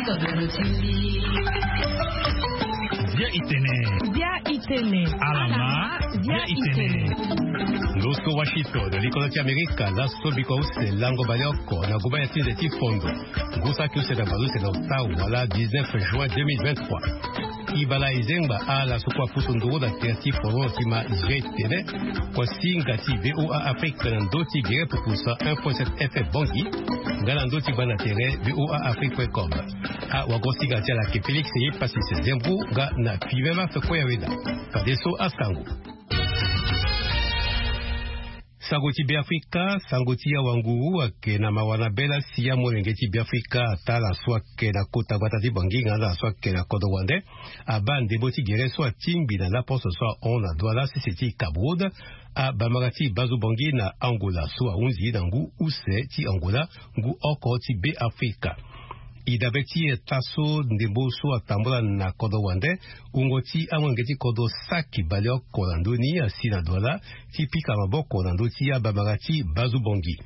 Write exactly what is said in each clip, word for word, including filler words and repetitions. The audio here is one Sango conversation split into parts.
Bia itene. Bia itene. Alama. Bia itene. Loso Washington, likolo ti Amerika, laso biko use lango baleoko na gumba ya tinze ti fondo. Ngusa ki use na balu use na otau wala dix-neuf juin deux mille vingt-trois. Ibala izengba ala sukua pusu nduru na tere ti fondo ti ma G T N. Kua singa ti V O A Afrique na ndo ti gere pupusa un point sept F M Bangui. Nga na ndo ti gbanda tere V O A Afrique point com. A wago singa ti ala ke Félix ye pasi se zembu nga na pimema fe kue ya weda. Fadeso asango. Sango ti Beafrika, sango ti awanguru ayeke na mawa na bela si amolenge ti Beafrika atala so ayeke na kota gbata ti Bangui nga na so ayeke na kodro wande. Abaa ndembo ti gere so atingbi na laposo so ahon na Douala sese ti Cap Rouge. Abamara ti Bazu Bangui na Angola so ahunzi na ngu use ti Angola, ngu oko ti Beafrika. E dabe ti eta so ndembo so atambula na kodro wande, wungo ti amolenge ti kodro saki baleoko na ndö ni asi na Douala ti pika maboko na ndö ti abamara ti Bazu Bangui.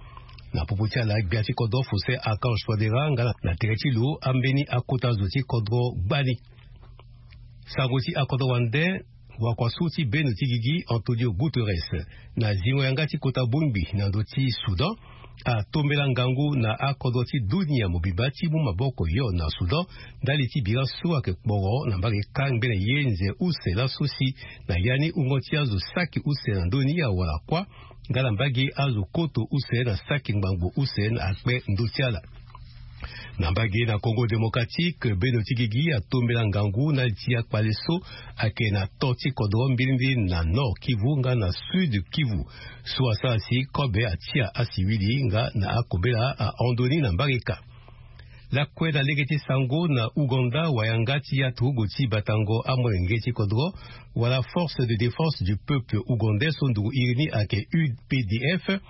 Na popo ti ala gbia ti kodro Faustin Archange Touadéra nga na tere ti lo ambeni akota zo ti kodro gbani. Sango ti akodro wande. Wakua so ti beno ti gigi Antonio Guterres na zingo yanga ti kota bongbi na ndö ti Soudan atombela ngangu na akodro ti dunia mobimba ti mu maboko yo na Soudan ndali ti bira so ayeke kporo na mbage kangbe na ye nze use laso si na ya ni wungo ti azo saki use na ndö ni awara kuâ nga na mbage azo koto use na saki ngbangbo use na akpe ndö ti ala. Na mbage na Congo Démocratique, beno ti gigi atombela ngangu na li ti akpale so ayeke na to ti kodro mbirimbiri na Nord Kivu nga na Sud Kivu so asara si kobe atia asiwili nga na akobela ahon ndoni na mbage ka. Lakue na lege ti sango na Ouganda, wayanga ti aturugu ti batango amolenge ti kodro wala Force de Défense du Peuple Ougandais so nduru iri ni ayeke U P D F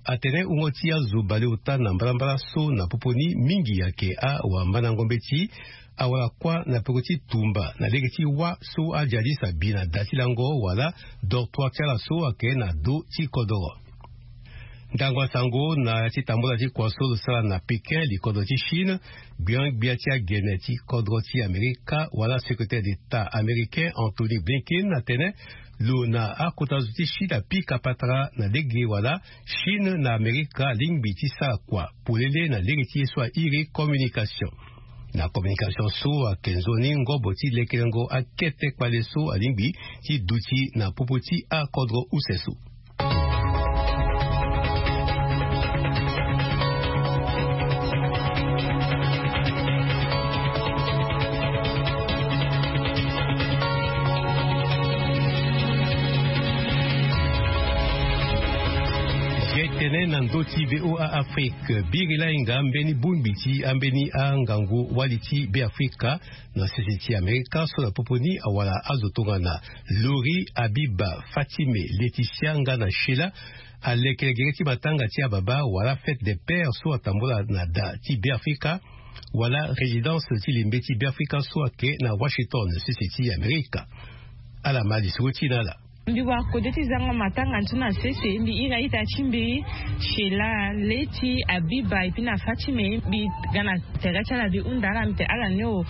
atene wungo ti azo baleota na mbalambala so na popo ni mingi ayeke awambandango mbeti awara kuâ na peko ti tumba na lege ti wâ so ajihadiste abi na da ti lango wala dortoir ti ala so ayeke na do ti kodoro. Ndango asango na ya ti tambula ti kua so lo sara na Pékin, likodro ti Chine, gbiangbia ti agene ti kodro ti Amerika wala secrétaire d'État américain Anthony Blinken atene lo na akota zo ti Chine apika patara na lege wala Chine na Amerika alingbi ti sara kua polele na lege ti ye so airi communication. Na communication so ayeke nzoni ngobo ti lekelengo akete kpale so alingbi ti duti na popo ti akodro use so. Ye tene na ndö ti V O A Afrique, biri lahinga ambeni bongbi ti ambeni angangu wali ti Beafrika na sese ti Amerika so na popo ni awara azo tongana Lori, Abiba, Fatime, Laetitia nga na Sheila alekere gere ti matanga ti ababa wala fête des pères so atambula na da ti Beafrika wala résidence ti lembe ti Beafrika so ayeke na Washington, sese ti Amerika. Ala ma lisoro ti na ala. Mbi wara kode ti zango matanga ni so na sese, mbi iri a-ita ti mbi Sheila, Leti, Abiba, et puis na Fatime. Mbi ga na tere ti ala, mbi hunda ala, mbi tene ala ni o,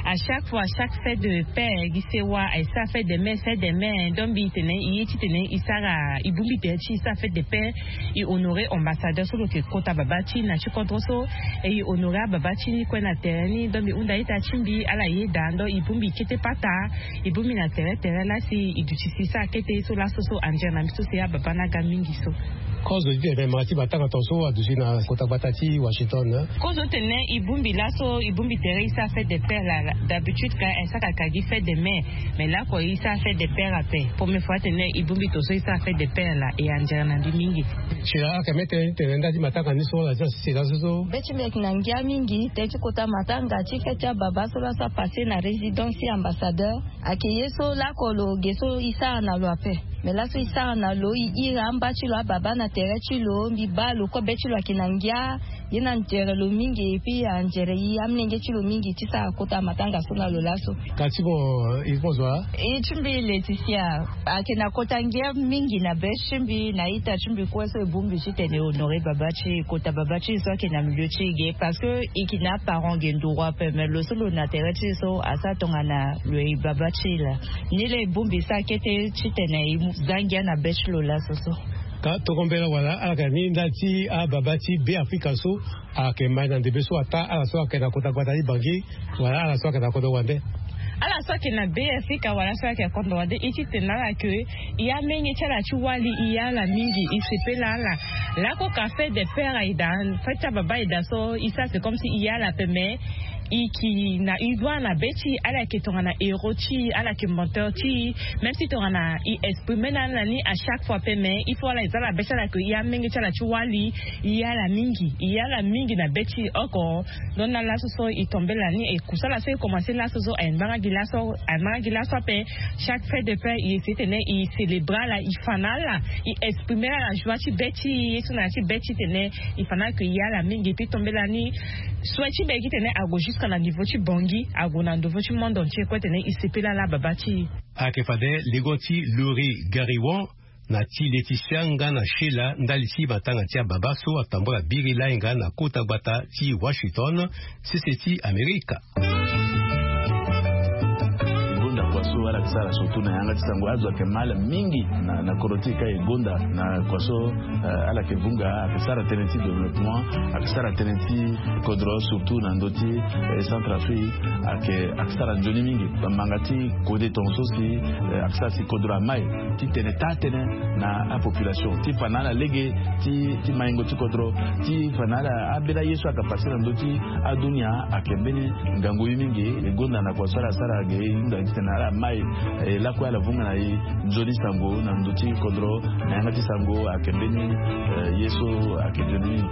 à chaque fois, à chaque fête de père, gi sewa, aye sara fête de mère, fête de mère. Donc mbi tene e ye ti tene e sara, e bongbi tere ti e sara fête de père, e honorer ambassadeur so lo yeke kota baba ti e na ti kodro so, et e honorer ababa ti ni kue na tere ni. Donc mbi hunda a-ita ti mbi ala yeda, donc e bongbi kete pata, e bongbi na tere tere laa si e duti si e sara kete ye so laso so anzere na mbi so si ababa ni aga mingi so. Kozo ti tene mara ti matanga tongaso aduti na kota gbata ti Washington, hein? Kozo tene e bongbi laso, e bongbi tere e sara fête des pères laa, d'habitude ka e sara kaka gi fête des mères, mais lako e sara fête des pères ape. Première fois tene e bongbi tongaso e sara fête des pères laa, e anzere na mbi mingi. Sheila, ake mê tënë ti tene nda ti matanga ni so la ti asisi laso so? Be ti mbi ayeke na ngia mingi tënë ti kota matanga ti fête ti ababa so laso apasse na résidence ti ambassadeur. Ayeke ye so lako lo ge so e sara na lo ape. Mais laso e sara na lo, e iri amba ti lo ababa na tere ti lo, mbi baa lo kobe ti lo ayeke na ngia. Ye na njere lo mingi, epi anjere ye amenge ti lo mingi ti sara kota matanga so na lo laso. Kasi bon, il faut zo a. E ti mbi Laetitia, ayeke na kota ngia mingi na be ti mbi na ita ti mbi kue so e bongbi titene e honore baba ti e, kota baba ti e so ayeke na milieu ti e ge, parce que e yeke na aparent ge nduru ape, mais lo so lo na tere ti e so asara tongana lo e baba ti e laa. Ni laa e bongbi so akete titene e mu za ngia na be ti lo laso so. Ka toko mbela wala ala yeke na ni nda ti ababa ti Beafrika so ayeke mai na ndembe so ataa ala so ayeke na kota gbata ti Bangui, wala ala so ayeke na kodro wande. Ala so ayeke na Beafrika wala so ayeke na kodro wande, e titene ala yeke e amenge ti ala ti wali, e ye ala mingi, e sepela ala. Lako ka fête des pères aye daa, fête ti ababa aye daa so, e sara c'est comme si e ye ala ape, mais e yeke na e doit na be ti e, ala yeke tongana héros ti e, ala yeke mentor ti e. Même si tongana e exprimer na ala na ni à chaque fois ape, mais il faut ala e za ala be ti ala ke e amenge ti ala ti wali, e ye ala mingi, e ye ala mingi na be ti e oko. Donc na laso so e tombé na ni, e kusala so e commencé laso so, aye mbanga gi laso, aye mbanga gi laso ape. Chaque fête des pères e essayer titene e célébrer ala, e fa na ala, e exprimer ala joie ti be ti e, ye so na ya ti be ti e titene e fa na ala ke e ye ala mingi. Puis tombé na ni, souhait ti mbi ayeke titene ague jusqu'à na niveau ti Bangui, ague na niveau ti monde entier kue titene e sepela ala baba ti e. Ayeke fade lengo ti Lori Gariwan na ti Laetitia nga na Sheila ndali ti matanga ti ababa so atambula biri lai nga na kota gbata ti Washington, sese ti Amerika. Gonda kua so ala yeke sara surtout na yanga ti sango, azo ayeke mal mingi na, na kodro ti e ka e gonda na kua so, eh, ala yeke vunga, ayeke sara tënë ti développement, ayeke sara tënë ti kodro, surtout na ndö ti, eh, Centrafrique, ayeke, ayeke sara nzoni mingi. Bamanga ti kode tongaso si, eh, ayeke sara si kodro amai titene taa tënë na apopulation, ti fa na ala lege ti, ti maingo ti kodro, ti fa na ala ambeni aye so ayeke pase na ndö ti adunia. Ayeke mbeni ngangu ye mingi. E gonda na kua so ala sara ge, e hunda titene ala mai, e lakue ala vunga na e nzoni sango na ndö ti kodro na yanga ti sango. Ayeke mbeni, eh, ye so ayeke nzoni mingi.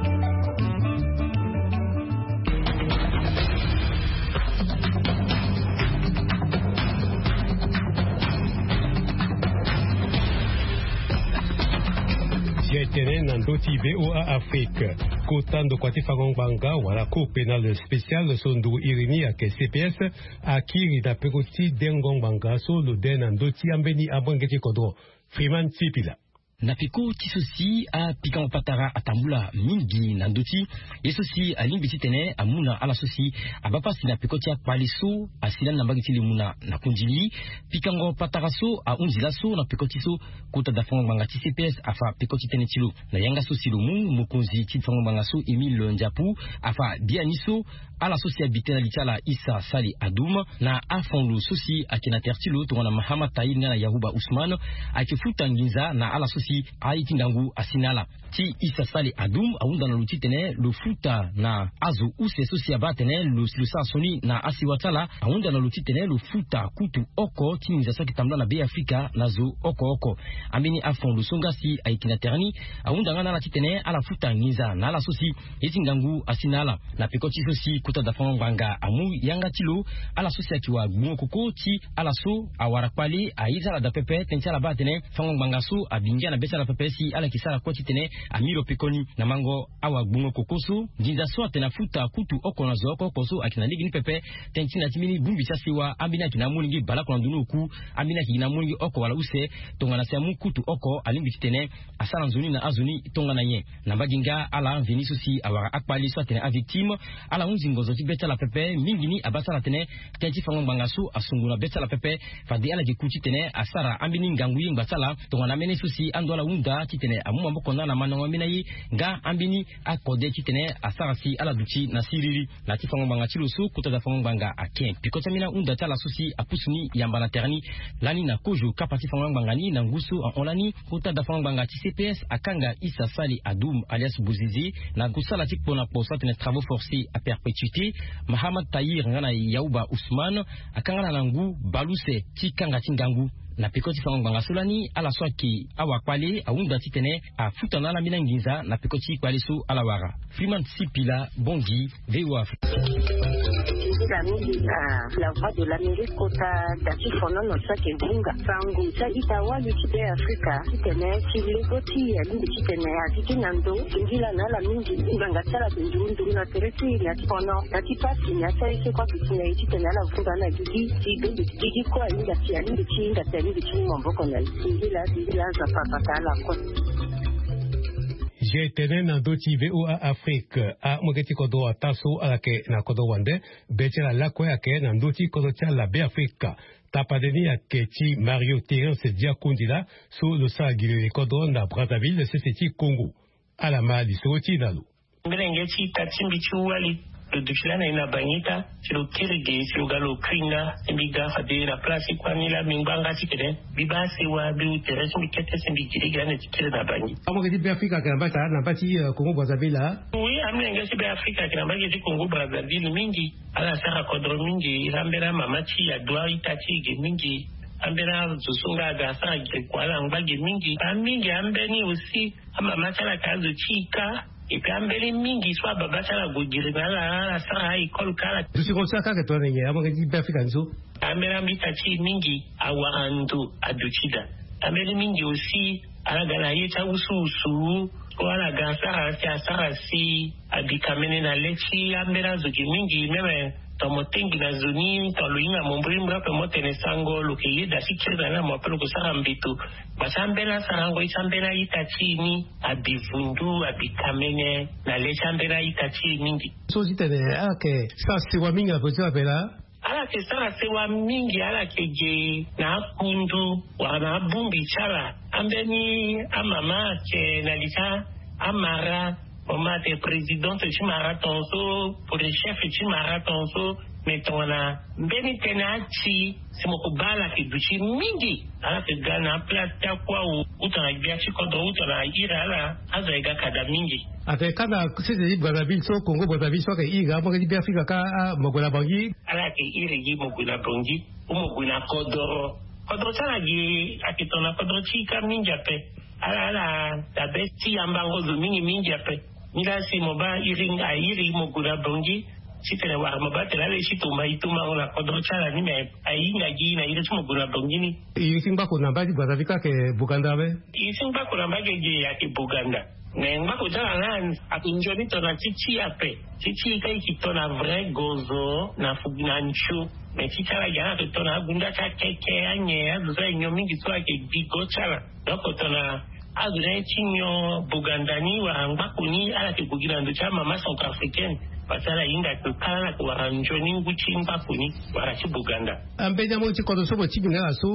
Ti e tene na ndö ti V O A Afrique, kota ndokua ti fango ngbanga wala Cour pénale spéciale so nduru iri ni ayeke C P S akiri na peko ti dengo ngbanga so lo de na ndö ti ambeni amolenge ti kodro. Freeman Sipila. Na peko ti so si apikango patara atambula mingi na ndö ti ye so si alingbi titene amu na ala so si abaa pasi na peko ti akpale so asi lani na mbage ti limo na, na kundili. Pikango patara so ahunzi laso na peko ti so kota da fango ngbanga ti C P S afa peko ti tënë ti lo. Na yanga so si lo mu, mokonzi ti fango ngbanga so Émile Ndiapu afa biani so ala so si abi tënë na li ti ala Issa Sali Adoum na afon lo so si ayeke na tere ti lo tongana Mahamat Tahir nga na Yahuba Ousmane ayeke futa nginza na ala so si aye ti ngangu asi na ala. Ti Issa Sali Adoum ahunda na lo titene lo futa na azo use so si abaa atene lo, lo sara sioni na asewa ti ala. Ahunda na lo titene lo futa kutu oko ti nginza so ayeke tambula na Beafrika na zo oko oko. Ambeni afon lo so nga si ayeke na tere ni ahunda nga na ala titene ala futa nginza na ala so si ye ti ngangu asi na ala. Na peko ti so si kota da fango ngbanga amu yanga ti lo, ala so si ayeke wara gbungo koko ti ala so awara kpale aye ti ala daa pepe, tënë ti ala baa atene fango ngbanga so abi ngia na be ti ala pepe si ala yeke sara kue titene ami lo pekoni. Na mango awagbungo koko so, nginza so atene afuta kutu oko na zo oko oko so ayeke na lege ni pepe. Tënë ti na ya ti mbeni bongbi ti asewa, ambeni ayeke na amolenge baleoko na ndoni oku, ambeni ayeke gi na amolenge oko wala use. Tongana si amu kutu oko, alingbi titene asara nzoni na azo ni tongana nyen. Na mbage nga ala mveni so si awara akpale so atene avictime, ala hunzi ngonzo ti be ti ala pepe. Mingi ni abaa ti ala atene tënë ti fango ngbanga so asungu na be ti ala pepe. Fade ala yeke ku titene asara ambeni ngangu yengba ti ala tongana amene so si ando ala hunda titene amu maboko na ala mandango ambeni aye nga ambeni akode titene asara si ala duti na siriri. Na ya ti fango ngbanga ti lo so, kota da fango ngbanga ake peko ti ambeni ahunda ti ala so si apusu ni yamba na tere ni. Lani na kozo kapa ti fango ngbanga ni na ngu so ahon lani, kota da fango ngbanga ti C P S akanga Issa Sali Adoum alias Bouzizi na kusala ti kpo na kpo so atene travaux forcés à perpétuité. Mahamat Tahir nga na Yahuba Ousmane akanga ala na ngu baleuse ti kanga ti ngangu. Na peko ti fango ngbanga so lani, ala so ayeke awakpale ahunda titene afuta na ala ambeni anginza na peko ti kpale so ala wara. Freeman Sipila, Bangui, V O A Afrique. Ila mingi na la voix de l'Amérique kota da ti fonono so ayeke vunga sango ti a-ita wali ti Be Afrika titene ti lego ti e alingbi titene a gigi na ndo. Singila na ala mingi ngbanga ti ala ayeke nduru nduru na tere ti e na ti fono na ti pasi na ya ti aye so kue ayeke si na e titene ala vunga na gigi ti bembe ti gigi kue ahinga si alingbi ti hinga si alingbi ti mu maboko na e. Singila singila Nzapa abata ala kue. G tene na ndö ti V O A Afrique amolenge ti kodro ata so ala yeke na kodro wande be ti ala lakue ayeke na ndö ti kodro ti ala Be Afrika. Tapande ni ayeke ti Mario Terence Diakundila so lo sara gi lele kodro na Brazzaville sese ti Congo. Ala ma lisoro ti e na lo. Mbi lenge ti ita ti mbi ti wali lo duti lani na e na Bangui ita. Si lo kiri ge si lo ga lo kui nga si mbi ga fade na place ti kuâ ni laa mbi ngbanga ti kede mbi baa sewa mbi hu tere ti mbi kete si mbi gi lege lani ti kiri na Bangui. Amolenge ti Be Afrika ayeke na mbage ti ala na mbage ti Congo Brazzaville laa. Oui, amolenge ti Be Afrika ayeke na mbage ti Congo Brazzaville mingi. Ala sara kodro mingi. Ambeni amama ti e adua ita ti e ge mingi. Ambeni azo so nga aga asara gi kua ala ngba ge mingi. Amingi ambeni aussi amama ti ala ayeke azo ti e kâ. Epui ambeni mingi so ababa ti ala ague giri na ala ala sara a-école kâ ala. Duti ko ti ala kâ ayeke tongana nyen amolenge ti Be Afrika ni so? Ambeni ita ti e mingi awara ndo aduti daa. Ambeni mingi aussi ala ga na ye ti awusuwusu so ala ga asara si asara si abi kamene na le ti ambeni azo ge mingi même. Tongana mo tengbi na zo ni tongana lo hinga mo mbrimbri ape mo tene sango lo yeke yeda ti kiri na ni na mo ape lo yeke sara mbeto. Basa ambeni asarango ye ti ambeni a-ita ti e ni abi vundu abi kamene na le ti ambeni a-ita ti e mingi. So titene ala yeke sara sewa mingi na politik ape laa. Ala yeke sara sewa mingi ala yeke ge na akundu wala na abongbi ti ala. Ambeni amama ayeke na li ti amara. Mama ayeke présidente ti mara tongaso. Pour chef ti mara tongaso. Mais tongana mbeni tënë ati si mo ko baa ala yeke duti mingi. Ala yeke ga na aplace ti akua o. Uta na gbia ti kodro uta na iri ala azo ayeke ga kada mingi. Atene kâ na sese ti Brazzaville so Congo Brazzaville so ayeke iri amolenge ti Be Afrika kâ. Mo gue na Bangui. Ala yeke iri gi mo gue na Bangui ou mo gue na kodro. Kodro ti ala gi ayeke tongana kodro ti e kâ mingi ape. Ala ala dabe ti yambango zo mingi mingi ape. Ni laa si mo baa iri airi mo gue na Bangui titene wara mo baa tene ala ye ti tomba e tombango na kodro ti ala ni me ahinga gi na iri ti mo gue na Bangui ni. Iri ti ngbako na mbage ti Brazzaville kâ ayeke Boganda ape. Iri ti ngbako na mbage ge ayeke Boganda. Me ngbako ti ala laa ayeke nzoni tongana ti ti e ape. Ti ti e kâ e yeke tongana vrai gozo na fugi na nzio. Me ti ti ala ge ala yeke tongana agunda ti akeke anyen azo so ayeke nyon mingi so ayeke gbi go ti ala. Donc tongana azo ni aye ti nyon Boganda ni wala ngbako ni ala yeke gue gi na ndo ti amama centrafricaine. Parce que ala hinga ake kala ala yeke wara nzoni ngu ti ngbako ni wala ti Boganda. Ambeni amolenge ti kodro so mo tingbi na ala so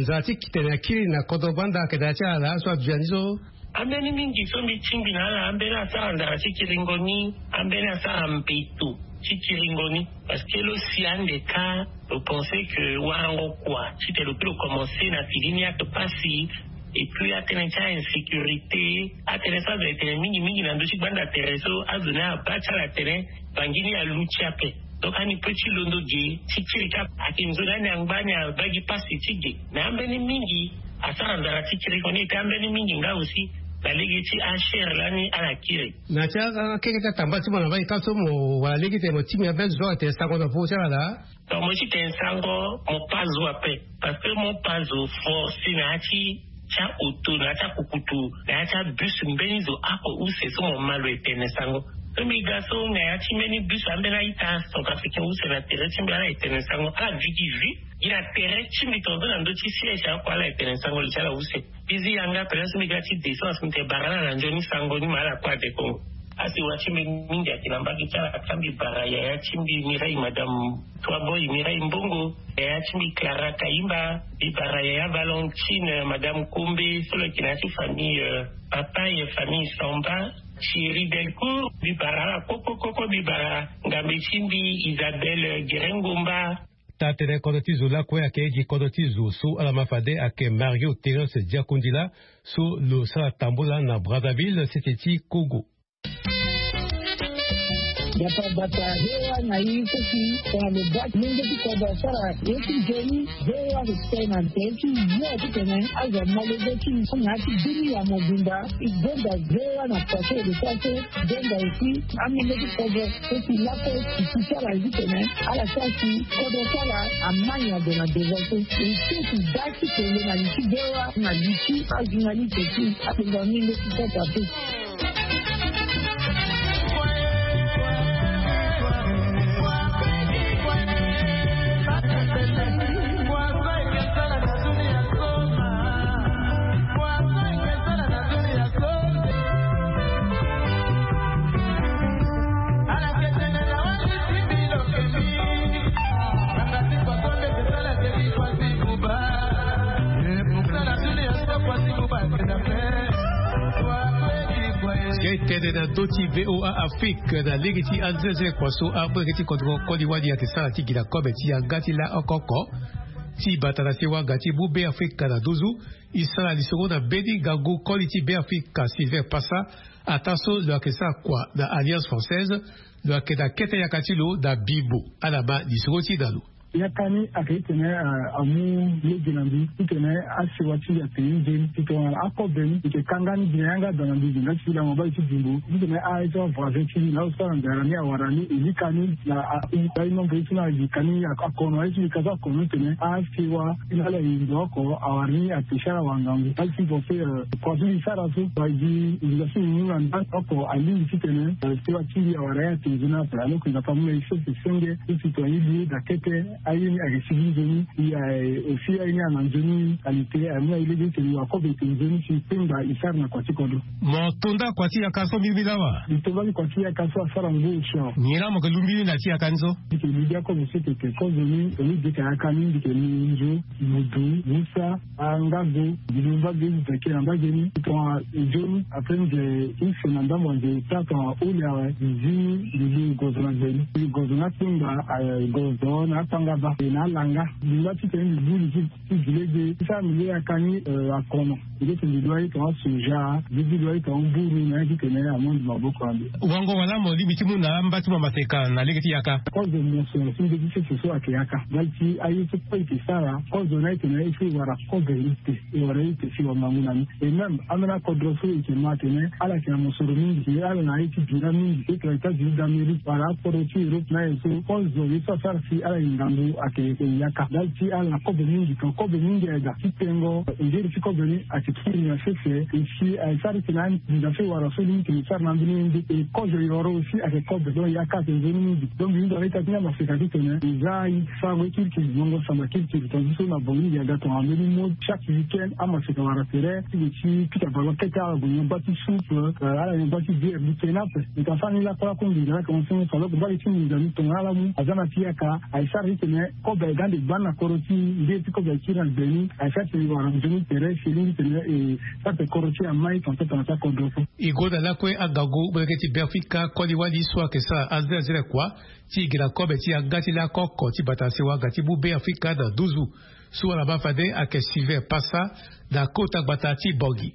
nzara ti tene akiri na kodro gbanda ayeke na ya ti ala laa so aduti na ni so. Ambeni mingi so mbi tingbi na ala ambeni asara nzara ti kiringo ni. Ambeni asara mbeto ti kiringo ni. Parce que lo si ande kâ lo pense que warango kua titene lo kiri lo commence na fini ni ake pasi. Et puis atënë ti ainsécurité atënë so azo ayeke tene mingi mingi na ndö ti gbanda tere so azo ni abaa ti ala atene bangi ni aluti ape. Donc ani pe ti londo ge ti kiri kâ. Ayeke nzoni ani angba ani abaa gi pasi ti ge. Na ambeni mingi asara nzara ti kiri koni ete ambeni mingi nga aussi na lege ti achere lani ala kiri. Na ti akeke ti atamba ti mo na mbage kâ so mo wara lege tene mo tingbi ambeni zo so atene sango na popo ti ala laa. Donc mo ti tene sango mo pa zo ape. Parce que mo pa zo force na ya ti ti aoto na ya ti akukutu na ya ti abus mbeni zo ako use so mo ma lo etene sango. So mbi ga so na ya ti mbeni bus ambeni a-ita centrafricain use na tere ti mbi ala etene sango ala vigi vi gi na tere ti mbi tongaso na ndö ti siège ako ala etene sango lo ti ala use. Mbi zi yanga pele so mbi ga ti de so asi mbi tene bara ala na nzoni sango ni ma ala kue ade kongo. Asi wa ti mbi mingi ayeke na mbage ti ala ka mbi bara yaya ti mbi mirai madame Toi boy Mireille Mbongo, yaya ti mbi Clara Kayimba, mbi bara yaya Valentine, madame Kombe so lo yeke na ya ti famille Papaye, famille Samba, Thierry Delcourt, mbi bara ala koko koko, mbi bara ngambe ti mbi Isabelle Gerengomba. Taa-tënë kodro ti zo lakue ayeke gi kodro ti zo so ala ma fade ayeke Mario Terence Diakundila so lo sara tambula na Brazzaville sese ti Congo. Gbata gbata, V O A na i so si tongana lo baa ti lenge ti kodro asara ye ti nzoni. V O A ayeke tene na tere ti yo titene azo amolenge ti na ya ti bini ya mobimba. I gbonga V O A na kua so e de so aso. Gbonga aussi amolenge ti kodro so si laso e si ti sara ye titene ala sara si kodro so ala amani ado na devant so. E so si da ti kende na li ti V O A na li ti ajournaliste ti akpengba mingi ti kota pe. Tene na ndö ti V O A Afrique na lege ti anzezele kua so amolenge ti kodro koli wali ayeke sara ti gi na kobe ti yanga ti la oko oko ti bata na sewa nga ti mu Be Afrika na nduzu. E sara lisoro na mbeni ngangu koli ti Be Afrika Sylvain Passa, ataa so lo yeke sara kua na Alliance Française. Lo yeke na kete yaka ti lo na Bimbo. Ala ma lisoro ti na lo. Yaka ni ayeke titene amu lege na mbi titene asewa ti mbi atene nzoni ti tongana akobe ni e yeke kanga ni gi na yanga daa na mbi gi nga ti lango bale ti Bimbo titene aye so avoisin ti mbi na azo so ala ngara ni awara ni e lika ni na a-, a-, a-, nombre ye so na lika ni akono aye so lika so akono titene asewa ti na ala e ndo oko awara ni apesi ala wangangu. Ala ti pense kua so e sara so wa gi e lika so e mu na ndani oko alingbi titene sewa ti mbi awara ye atene nzoni ape. Alors que Nzapa amu na e so si senge so si tongana e lu daa kete aye ni ayeke sigi nzoni. E aye aussi aye ni ana nzoni qualité aye mu na e lege titene akobe e tene nzoni si kpengba e sara na kua ti kodro. Mo to nda kua ti yaka so mbirimbiri awa? E to nda ti kua ti yaka so asara ngu osio. Nyen laa mo yeke lu mbiri na ti yaka ni so? Mbi yeke lu gi akobe so tete kozo ni tongana e yeke yaka ni mbi yeke lu nzo, mudu, musa, angago, mbi lu mbage, mbi yeke na mbage ni tongana nzoni. Après mbi yeke use na ndambo nze taa tongana ole awe mbi zi mbi lu gozo na gbe ni. Mbi lu gozo na akpengba, eh, gozo na akpangaba e na alanga. Mbi ngba titene mbi buru ti ti gi lege ti sara mbi le yaka ni, eh, akono. Mbi leke mbi lu aye tongana soja, mbi leke mbi lu aye tongana mburu na ya titene amu mbi maboko na mbi. Wango wala mo lingbi ti mu na amba ti mo maseka na lege ti yaka? Kozo mo so si nde ti sese so ayeke yaka. Ndali ti aye so kue e yeke sara kozo na e tene e so e wara kozo e ute. E wara e ute si wangangu na ni. Et même ambeni akodro so e yeke ma atene ala yeke na mosoro mingi, ala na aye ti bira mingi, e yeke na États-Unis d'Amérique wala akodro ti Europe na aye so kozo ye so asara si ala yeke ngangu ayeke yaka. Ndali ti ala na kobe mingi, tongana kobe mingi aye daa ti tengo ngeri ti kobe ni ayeke kiri na sese. E si aye sara titene anginza so e wara so ni tene e sara na ambeni ye nde. E kozo yoro aussi ayeke kobe, donc yaka ayeke nzoni mingi. Donc mbi hunda na ita ti ni amaseka titene e za e sarango ye kirikiri, ngongo samba kirikiri, tongaso na bango mingi aga tongana mbeni mo chaque week-end amaseka wara tere ti lo ti pika ballon kete ala gue nyon gba ti soupe, eh, ala nyon gba ti bière mbi tene ape. Mbi ta sara ni lakue lakue nginza laa tongana so ni fa loko mbage ti nginza ni tongana ala mu aza na ti yaka aye sara titene kobe aye ga ande gbani na kodro ti e, nde ti kobe aye kiri na gbe ni aye sara titene e wara nzoni tere si e lingbi titene e sara titene kodro ti e amai tongaso tongana ti akodro so. E gue na lakue angangu molenge ti Beafrika koli wali so ayeke sara azelazele kua ti gi na kobe ti yanga ti lako oko ti bata na sewa nga ti mu Beafrika na nduzu. So ala ma fade ayeke Sylvain Passa na kota gbata ti Bangui.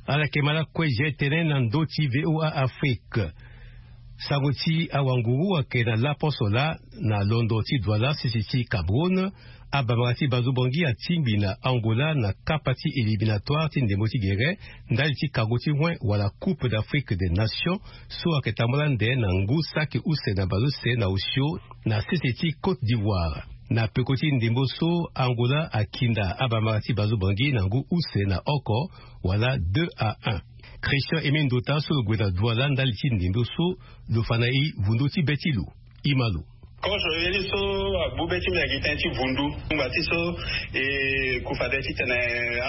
Ala yeke ma lakue ge tënë na ndö ti V O A Afrique. Sango ti awanguru ayeke na laposo laa na londo ti Douala, sese ti Cameroun. Abamara ti Bazobangi atingbi na Angola na kapa ti éliminatoire ti ndembo ti gere ndali ti kango ti wen wala Coupe d'Afrique des Nations so ayeke tambula ande na ngu saki use na bazo use na osio na sese ti Côte d'Ivoire. Na peko ti ndembo so, Angola akinda abamara ti Bazobangi na ngu use na oko wala deux à un. Christian Aimé Ndota so lo gue na Douala ndali ti ndembo so, lo fa na e vundo ti be ti lo. E ma lo. Kozo ye ni so Bube ti mbi agi tënë ti vundu ngba ti so e ku fade titene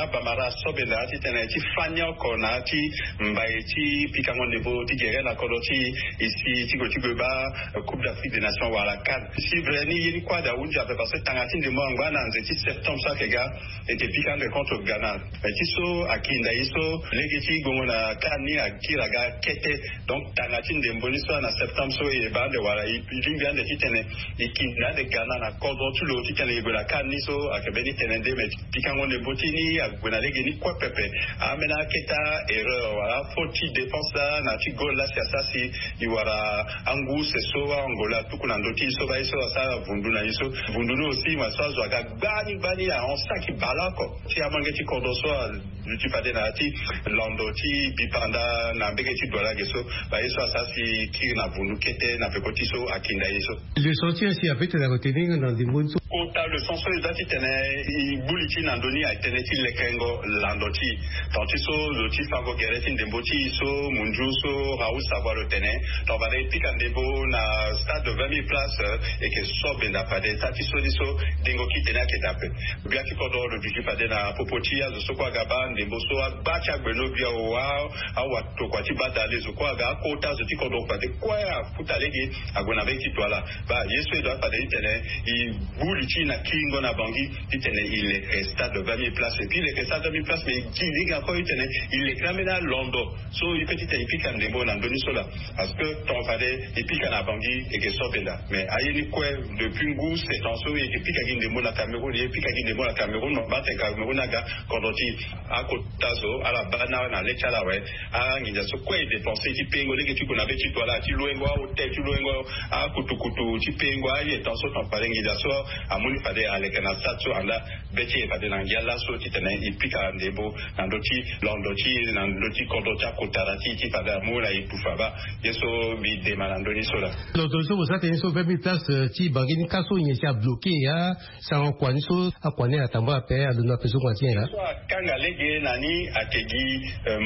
abamara asobenda titene ti fani oko na ti mbai ti pikango ndembo ti gere na kodro ti e si ti gue ti gue baa Coupe d'Afrique des Nations wala CAN. Si vrai ni ye ni kue ade ahunzi ape parce que tanga ti ndembo angba na nze ti septembre so ayeke ga e yeke pika ande contre Ghana. Mais ti so akinda ye so lege ti gongo na CAN ni akiri aga kete. Donc tanga ti ndembo ni so na septembre so e baa ande wala e lingbi ande titene e kinda ande Ghana na kodro ti lo titene e gue na CAN ni so ayeke mbeni tene nde. Mais pikango ndembo ti ni ague na lege ni kue pepe. Ambeni aketa erreur wala faute ti défense laa na ti goal laa si asara si e wara angu use so aAngola atuku na ndö ti e so baa ye so asara vundu na e so. Vundu ni aussi ma so azo aga gbani gbani ahon saki bale oko ti amange ti kodro so aluti fade na ya ti lando ti bipanda na mbege ti Douala ge so. Baa ye so asara si kiri na vundu kete na peko ti so akinda ye so. Leçon ti asi ape tene aretenir na ndembo ni so. Kota leçon so e doit titene e gbu li ti e na ndö ni aye tënë ti lekengo lando ti e. Tant ti so lo ti fango gere ti ndembo ti e so mundiu so Raoul Savoie lo tene. Tant fade e pika ndembo na stade de vingt mille places e yeke so benda fade. Tant ti so ni so dengo ti tene ayeke daa ape. Gbia ti kodro lo duti fade na popo ti azo so kue aga baa ndembo so agba ti agbeno gbia o a awa tokua ti badale zo kue aga akota azo ti kodro fade kue afuta lege ague na mbege ti Douala. Baa ye so e doit fade titene e gbu li ti e na kiringo na Bangui titene e leke stade de vingt mille places. Et puis e leke stade de vingt mille places mais e gi lege encore titene e leke ambeni alondo so e pe titene e pika ndembo na ndö ni so laa. Parce que tant fade e pika na Bangui e yeke so benda. Mais aye ni kue depuis ngu sept ans so e yeke pika gi ndembo na Cameroun, e pika gi ndembo na Cameroun, ma baa tene Cameroun aga kodro ti e. Akota zo ala baa na na le ti ala awe. Anginza so kue e dépenser ti pengo lege ti gue na mbege ti Douala ti loengo ahôtel, ti loengo akutukutu ti pengo aye tant so tant fade nginza so amu ni fade aleke na stade so anda be ti e fade na ngia laso titene e pika ndembo na ndö ti londo ti e na ndö ti kodro ti akotara ti e ti fade amu na e tufa baa. Ye so mbi dema na ndö ni so laa. Londo so mo sara tene so vingt mille places ti Bangui ni ka so nyen si abloke ya? Sango kua ni so akua ni atambula ape alondo ape so kua ti nyen laa? So akanga lege na ni ayeke gi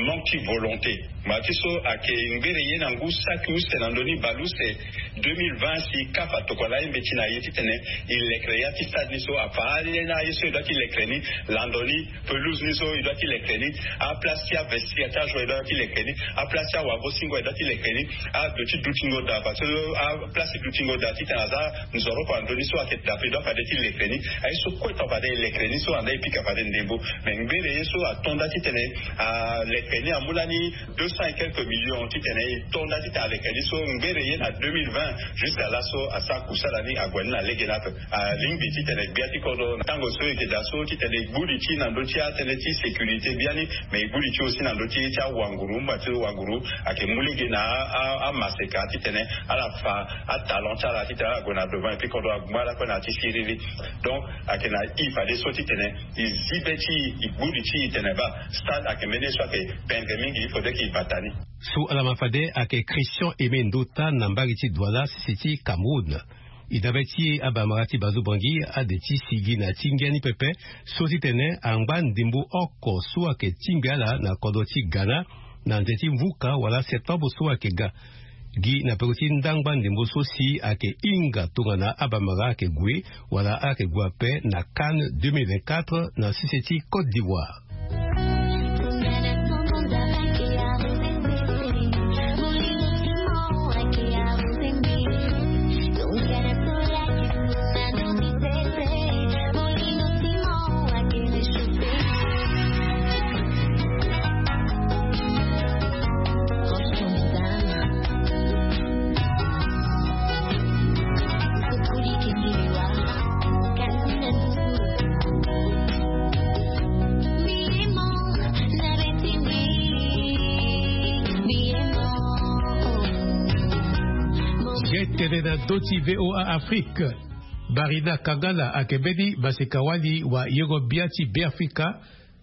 manque ti volonté. Ma ti so ayeke ngbere ye na ngu saki use na ndö ni baleuse deux mille vingt si CAF atokua laa e mbeti na e titene e lekere ya ti stade ni so afa ale na ye so e doit ti lekere ni. Lando ni pelouse ni so e doit ti lekere ni. Aplace ti avestiaire ti ajour e doit ti lekere ni. Aplace ti awagosingo e doit ti lekere ni. Ado ti dutingo daa parce que aplace ti dutingo daa titene aza nzoroko na ndö ni so ayeke daa ape e doit fade ti lekere ni. Aye so kue tant fade e lekere ni so anda e pika fade ndembo. Mais ngbere ye so ato nda titene aleke ni amu lani deux cents et quelques millions titene e to nda titene aleke ni so ngbere ye na deux mille vingt jusqu'à laso asara kusala ni ague ni na lege ni ape. Alingbi titene gbia ti kodro na tango so e yeke daa so titene e gbu li ti e na ndö ti atënë ti sécurité biani. Mais e gbu li ti e aussi na ndö ti ti awanguru mba ti wanguru ayeke mu lege na amaseka titene ala fa atalent ti ala titene ala gue na devant et puis kodro agbu ala kue na ya ti siriri. Donc ayeke na e fadeso titene e zi be ti e e gbu li ti e tene baa stade ayeke mbeni ye so ayeke pendre mingi il faudrait ke e bata ni. So ala ma fade ayeke Christian Aimé Ndota na mbage ti Douala sese ti Cameroun. E dabe ti e abamara ti Bazo Bangui ade ti sigi na ti ngia ni pepe so titene angba ndembo oko so ayeke tingbi ala na kodro ti Ghana na nze ti mvuka wala septembre so ayeke ga. Gi na peko ti ndangba ndembo so si ayeke hinga tongana abamara ayeke gue wala ayeke gue ape na CAN deux mille vingt-quatre na sese ti Côte d'Ivoire. Ge tene na ndö ti V O A Afrique. Barina Kangala ayeke mbeni maseka-wali wayengo-bia ti Beafrika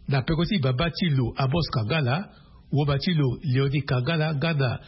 na peko ti baba ti lo Amos Kangala, woba ti lo Léonie Kangala nga na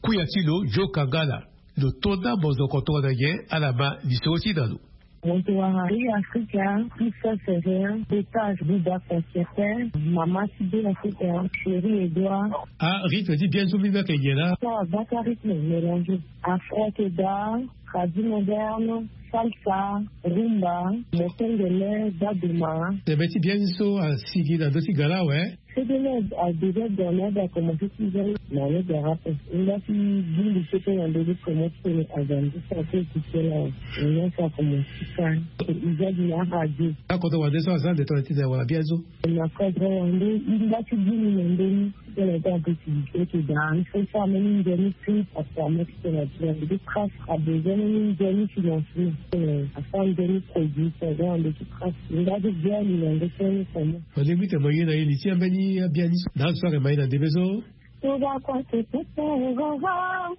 kuya ti lo Joe Kangala. Lo to ndambo zoko tongana nyen? Ala ma lisoro ti na lo. Mo yeke wara Beafrika ti Sœur Sérère, Betas Buba Concertin, mama ti Beafrika, Chérie Edouard. Ah, rythme ti bien so mbi mbi ayeke nyen laa? So abaka rythme mélangé. Afro ayeke daa. Kazi moderne, salsa, rumba, mokengele, daduma. Teme ti bien ni so asigi na ndö ti gala awe. Sedele adega gala akomanse ti za na le gara ape. Nga ti bulu so pe na ndö ti komo ti tene aza nde so ake ekikela awe. Nga so akomanse ti ka. Iza di na radio. Akoto wande so aza nde tongana ti za wala bien so. Na kodro wande. Nga ti bulu na ndö ni. Tene ti ape ti eke da il faut ti ameni nzoni ti ape ameti tene ti tene ti kras abezoin ni nzoni financement tene afa nzoni produit tene ande ti kras. Nga ti bien ni na nde tene tene. Olingbi tene mo ye na ye ni ti ambeni abia ni so na azo so ayeke ma ye na ndembe so. Tuba kua te pepe roro.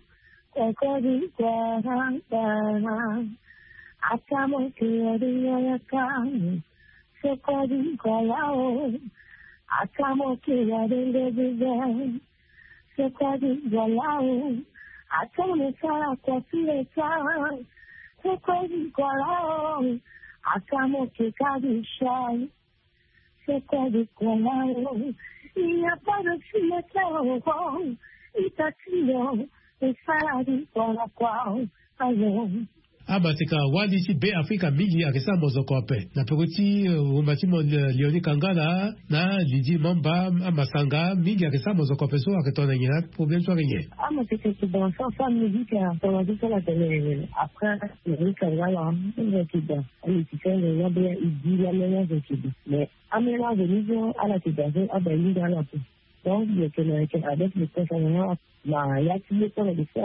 Kokori kua rangara. Ata mo ke ori yayaka. Sokodi gwala o. Ata mo ke ya dende bibe. Sokodi gwala o. Ata mo sara kwa pileta. Sokodi gwala o. Ata mo ke kadi shai. Sokodi gwala o. Il n'y a pas de cimetière au fond. Ita tilo. Esara di gwala kwa o. Ayo. Amaseka wali ti Be Afrika mingi ayeke sara mozoko ape na peko ti wumba ti mo Leoni Kangala na Lydie Mamba. Amasanga mingi ayeke sara mozoko ape so ayeke tongana nyen? Aproblème so ayeke nyen? Amaseka yeke danse afa musique atonga ti so ala tene après Leoni Kangala. Amusicien ayeke danse. Amusicien ayeke danse. Amusicien ayeke danse. Mais amusicien ayeke danse. Mais amusicien ayeke danse. Donc yeke na yeke avec le peuple na ya ti ye tongana de so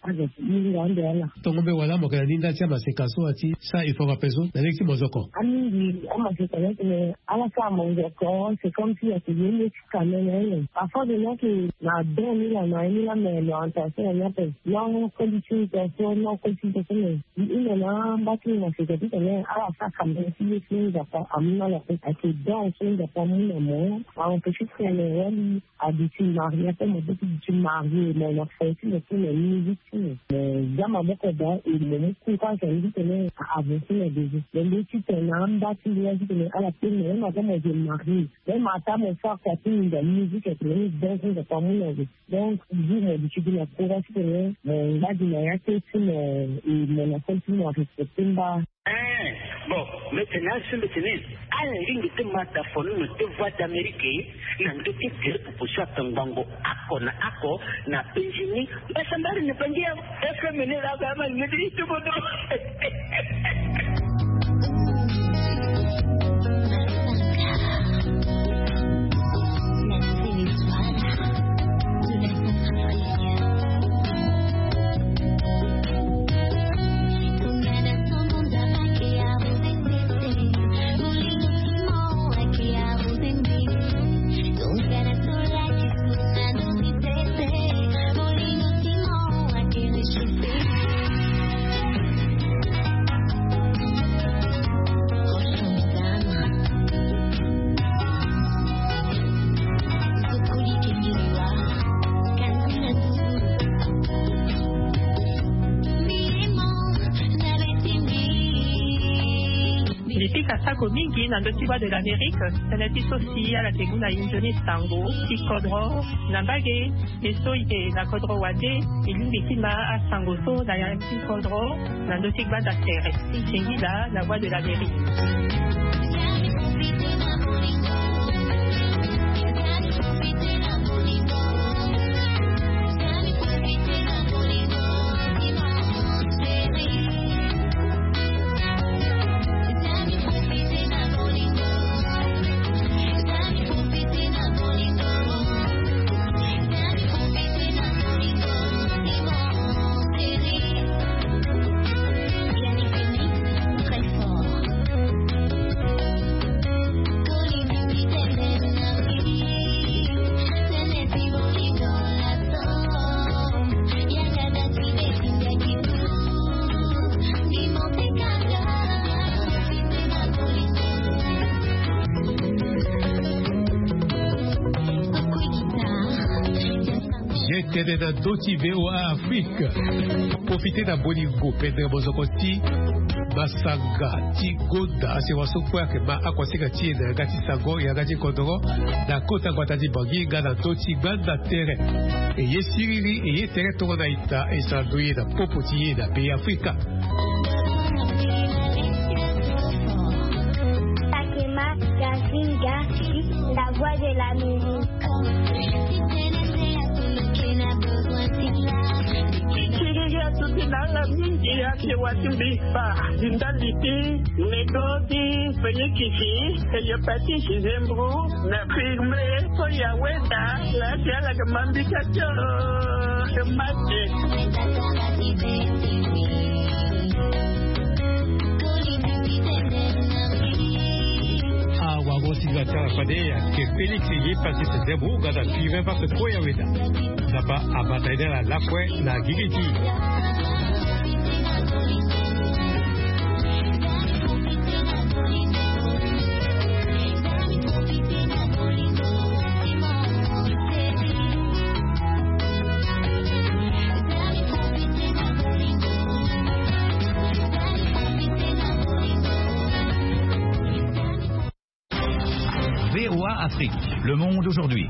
azo ti hinga ande ala. Tongo mbe wala mo yeke na ni nda ti amaseka so ati sa il faut ape so na lege ti mozoko. Amingi amaseka ni atene ala sara mozoko c'est comme si ayeke ye nde ti kame na ye. Parfois de non ke na don ni la na ye ni la mais na orientation na ni ape non koli ti orientation non koli ti orientation mais i hunda na mba ti maseka titene ala sara kame ti ye ti nzapa amu na ala ape ayeke don so nzapa amu na mo. A empêcher titene wali. Adi ti marie ape mo be ti di ti marie mo na fo ti mo ti mo musique ti mo. Mo za maboko daa e mo mu courage andi titene a avancer na besoin mo mbi titene na amba ti ngia titene ala pe mo même ata mo je marie même ata mo sara kua ti mo nda musique atene ni danse nzapa amu na zo. Donc jour mo di ti gi na courage titene mo ngba gi na ya te ti mo e mo na fo ti mo arespecte mba. Ee, bon, mbeti ni asi mbeti ni ala lingbi ti ma dafo ni na te voie d'amérique na ndö ti gere popo so atongbango ako na ako na penzi ni. Mbasambari ni bangi ya fm ni la ga ma ni di tubo do. Mbi pika sako mingi na ndö ti voie de l'amérique. Tënë ti so si ala yeke mu na inzo ni sango ti kodro na mbage. E so e yeke na kodro wande e lingbi ti ma asango so na ya ti kodro na ndö ti gbanda tere ti singila na voie de l'amérique. Ye tene na ndö ti voa afrique. Profite na bolingo pendere bozoko ti Masanga ti gonda asi waso kue ayeke ma akuasinga ti e na yanga ti sango, yanga ti kodoro, na kota gbata ti Bangui nga na ndö ti gbanda tere. E ye siriri, e ye tere tongana ita, e sara ndoye na popo ti e na pays Afrika. Takema Gazinga, la voix de l'Amérique. Siriri atuti na ala mingi, ake wati mbi fa ndali ti nego ti fenyikisi, hépatite, zembro, na firme so ya weda, la ti ala ke mambika tio, ke mate. Awagosinga ti ala fade ayeke Félix ye pasi tete bu ga na firme parce que ya weda. Nzapa abata ede ala lakue na gigi ti. V O A Afrique, le monde aujourd'hui.